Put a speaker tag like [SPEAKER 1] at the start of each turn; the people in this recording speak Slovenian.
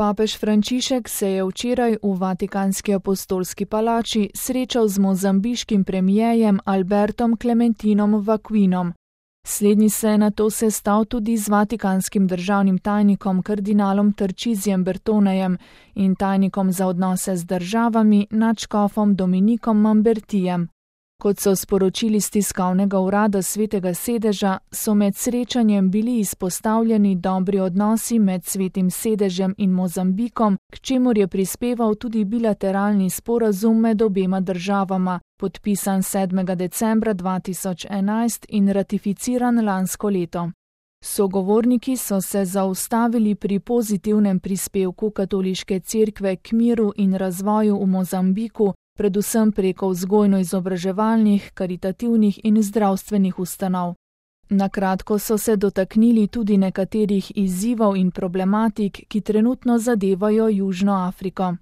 [SPEAKER 1] Papež Frančišek se je včeraj v Vatikanski apostolski palači srečal z mozambiškim premijejem Albertom Clementinom Vaquinom. Slednji se je nato sestal tudi z vatikanskim državnim tajnikom kardinalom Tarcisijem Bertonejem in tajnikom za odnose z državami nadškofom Dominikom Mambertijem. Kot so sporočili z tiskovnega urada Svetega sedeža, so med srečanjem bili izpostavljeni dobri odnosi med Svetim sedežem in Mozambikom, k čemur je prispeval tudi bilateralni sporazum med obema državama, podpisan 7. decembra 2011 in ratificiran lansko leto. Sogovorniki so se zaustavili pri pozitivnem prispevku katoliške cerkve k miru in razvoju v Mozambiku, predvsem preko vzgojno-izobraževalnih, karitativnih in zdravstvenih ustanov. Na kratko so se dotaknili tudi nekaterih izzivov in problematik, ki trenutno zadevajo Južno Afriko.